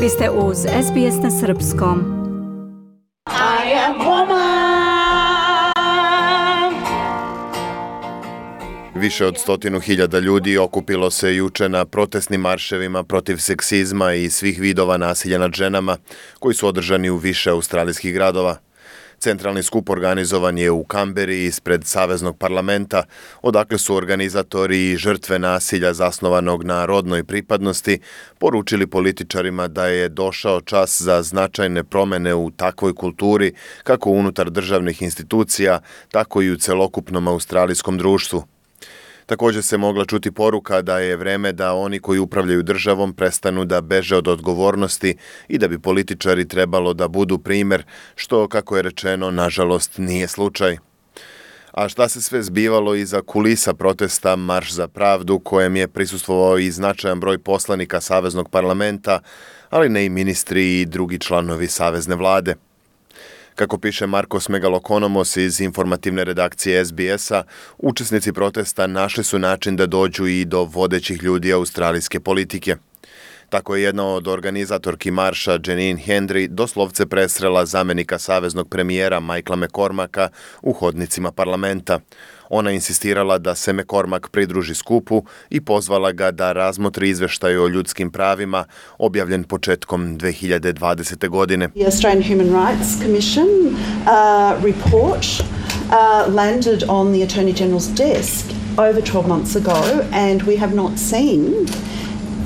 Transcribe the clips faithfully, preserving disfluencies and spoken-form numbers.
Vi ste uz S B S na srpskom. I am woman. Više od stotinu hiljada ljudi okupilo se juče na protestnim marševima protiv seksizma i svih vidova nasilja nad ženama, koji su održani u više australijskih gradova. Centralni skup organizovan je u Kamberi ispred Saveznog parlamenta, odakle su organizatori i žrtve nasilja zasnovanog na rodnoj pripadnosti poručili političarima da je došao čas za značajne promjene u takvoj kulturi, kako unutar državnih institucija, tako i u celokupnom australijskom društvu. Također se mogla čuti poruka da je vreme da oni koji upravljaju državom prestanu da beže od odgovornosti i da bi političari trebalo da budu primjer, što, kako je rečeno, nažalost nije slučaj. A šta se sve zbivalo iza kulisa protesta Marš za pravdu, kojem je prisustvovao i značajan broj poslanika Saveznog parlamenta, ali ne i ministri i drugi članovi Savezne vlade. Kako piše Markos Megalokonomos iz informativne redakcije S B S-a, učesnici protesta našli su način da dođu i do vodećih ljudi australijske politike. Tako je jedna od organizatorki marša, Janine Hendry, doslovce presrela zamenika saveznog premijera Michaela McCormacka u hodnicima parlamenta. Ona insistirala da se McCormack pridruži skupu i pozvala ga da razmotri izveštaj o ljudskim pravima objavljen početkom dve hiljade dvadesete. godine. The Australian Human Rights Commission uh, report uh, landed on the Attorney General's desk over twelve months ago, and we have not seen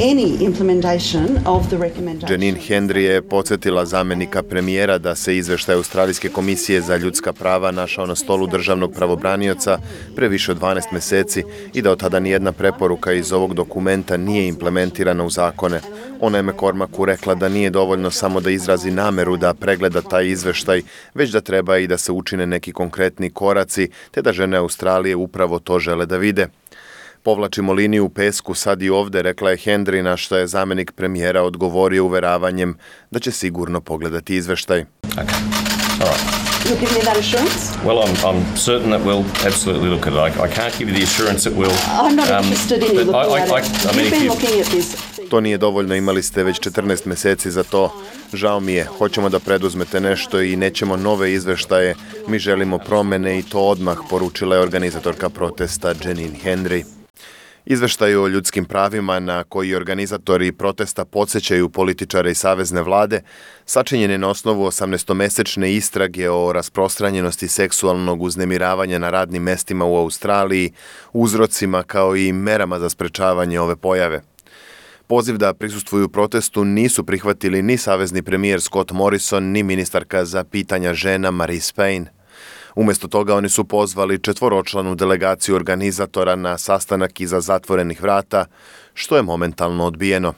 any implementation of the recommendations. Janine Hendry je podsjetila zamenika premijera da se izveštaj Australijske komisije za ljudska prava našao na stolu državnog pravobranioca pre više od dvanaest mjeseci i da od tada nijedna preporuka iz ovog dokumenta nije implementirana u zakone. Ona je McCormacku rekla da nije dovoljno samo da izrazi nameru da pregleda taj izveštaj, već da treba i da se učine neki konkretni koraci, te da žene Australije upravo to žele da vide. Povlačimo liniju u pesku sad i ovdje, rekla je Hendry, na što je zamenik premijera odgovorio uveravanjem da će sigurno pogledati izveštaj. Okay. All right. You'll give me that assurance? Well, I'm, I'm certain that we'll absolutely look at it. I, I can't give you the assurance that we'll... I'm not um, interested in you looking I, I, at I, it. I mean, You've been you... looking at this. To nije dovoljno, imali ste već četrnaest mjeseci za to. Žao mi je, hoćemo da preduzmete nešto i nećemo nove izveštaje. Mi želimo promjene i to odmah, poručila je organizatorka protesta Janine Hendry. Izveštaj o ljudskim pravima na koji organizatori protesta podsjećaju političare i savezne vlade sačinjen je na osnovu osamnaestomesečne istrage o rasprostranjenosti seksualnog uznemiravanja na radnim mestima u Australiji, uzrocima kao i merama za sprečavanje ove pojave. Poziv da prisustvuju protestu nisu prihvatili ni savezni premijer Scott Morrison, ni ministarka za pitanja žena Marise Payne. Umjesto toga oni su pozvali četvoročlanu delegaciju organizatora na sastanak iza zatvorenih vrata, što je momentalno odbijeno.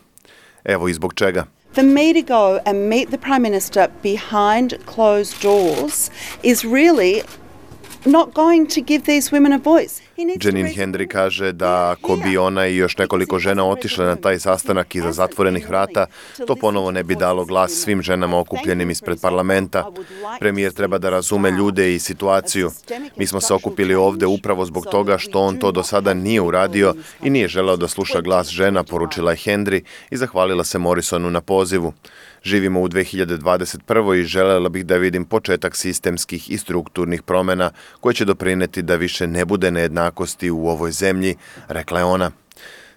Evo i zbog čega. For me to go and meet the Prime Minister behind closed doors is really not going to give these women a voice. Janine Hendry kaže da ako bi ona i još nekoliko žena otišle na taj sastanak iza zatvorenih vrata, to ponovo ne bi dalo glas svim ženama okupljenim ispred parlamenta. Premijer treba da razume ljude i situaciju. Mi smo se okupili ovdje upravo zbog toga što on to do sada nije uradio i nije želeo da sluša glas žena, poručila je Hendry i zahvalila se Morrisonu na pozivu. Živimo u dve hiljade dvadeset prvoj i želela bih da vidim početak sistemskih i strukturnih promjena koje će doprineti da više ne bude nejednakosti u ovoj zemlji, rekla je ona.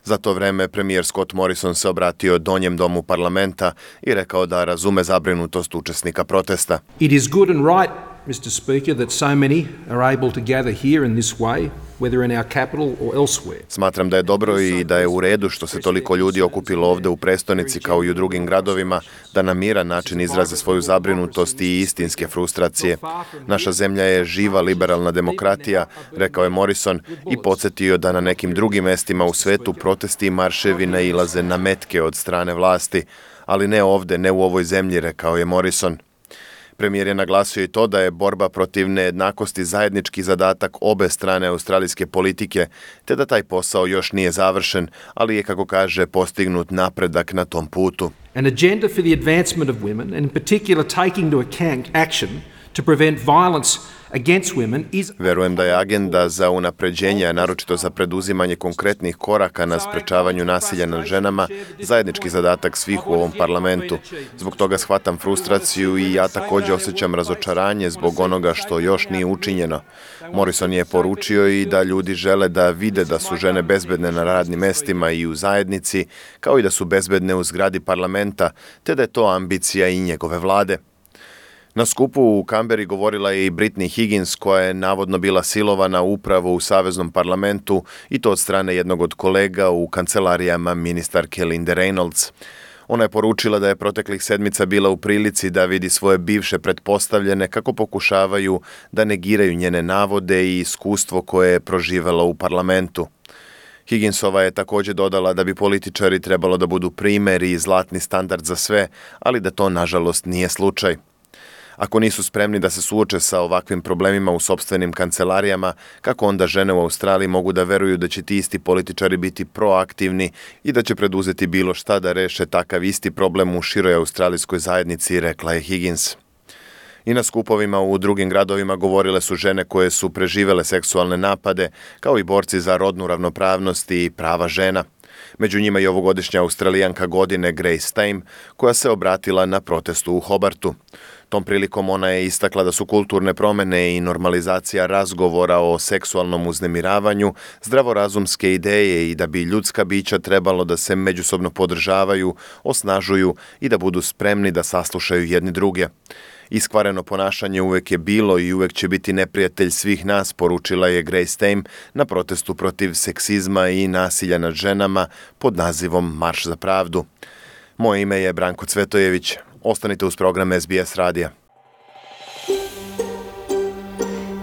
Za to vreme premijer Scott Morrison se obratio Donjem domu parlamenta i rekao da razume zabrinutost učesnika protesta. It is good and right, mister Speaker, that so many are able to gather here in this way, whether in our capital or elsewhere. Smatram da je dobro i da je u redu što se toliko ljudi okupilo ovdje u prestonici kao i u drugim gradovima da na miran način izraze svoju zabrinutost i istinske frustracije. Naša zemlja je živa liberalna demokratija, rekao je Morrison i podsjetio da na nekim drugim mestima u svetu protesti i marševi nailaze na metke od strane vlasti, ali ne ovdje, ne u ovoj zemlji, rekao je Morrison. Premijer je naglasio i to da je borba protiv nejednakosti zajednički zadatak obe strane australijske politike, te da taj posao još nije završen, ali je, kako kaže, postignut napredak na tom putu. An agenda for the advancement of women, and in particular taking to account action to prevent violence against women is... Verujem da je agenda za unapređenje, a naročito za preduzimanje konkretnih koraka na sprečavanju nasilja nad ženama, zajednički zadatak svih u ovom parlamentu. Zbog toga shvatam frustraciju i ja također osjećam razočaranje zbog onoga što još nije učinjeno. Morrison je poručio i da ljudi žele da vide da su žene bezbedne na radnim mestima i u zajednici, kao i da su bezbedne u zgradi parlamenta, te da je to ambicija i njegove vlade. Na skupu u Kamberi govorila je i Brittany Higgins, koja je navodno bila silovana upravo u Saveznom parlamentu i to od strane jednog od kolega u kancelarijama ministarke Linde Reynolds. Ona je poručila da je proteklih sedmica bila u prilici da vidi svoje bivše pretpostavljene kako pokušavaju da negiraju njene navode i iskustvo koje je proživela u parlamentu. Higginsova je također dodala da bi političari trebalo da budu primer i zlatni standard za sve, ali da to nažalost nije slučaj. Ako nisu spremni da se suoče sa ovakvim problemima u sopstvenim kancelarijama, kako onda žene u Australiji mogu da veruju da će ti isti političari biti proaktivni i da će preduzeti bilo šta da reše takav isti problem u široj australijskoj zajednici, rekla je Higgins. I na skupovima u drugim gradovima govorile su žene koje su preživele seksualne napade, kao i borci za rodnu ravnopravnost i prava žena. Među njima i ovogodišnja Australijanka godine Grace Tame, koja se obratila na protestu u Hobartu. Tom prilikom ona je istakla da su kulturne promjene i normalizacija razgovora o seksualnom uznemiravanju zdravorazumske ideje i da bi ljudska bića trebalo da se međusobno podržavaju, osnažuju i da budu spremni da saslušaju jedni druge. Iskvareno ponašanje uvek je bilo i uvek će biti neprijatelj svih nas, poručila je Grace Tame na protestu protiv seksizma i nasilja nad ženama pod nazivom Marš za pravdu. Moje ime je Branko Cvetojević. Ostanite uz program S B S radija.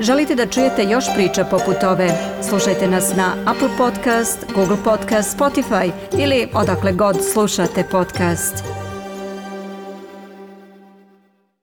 Želite da čujete još priča poput ove? Slušajte nas na Apple Podcast, Google Podcast, Spotify ili odakle god slušate podcast.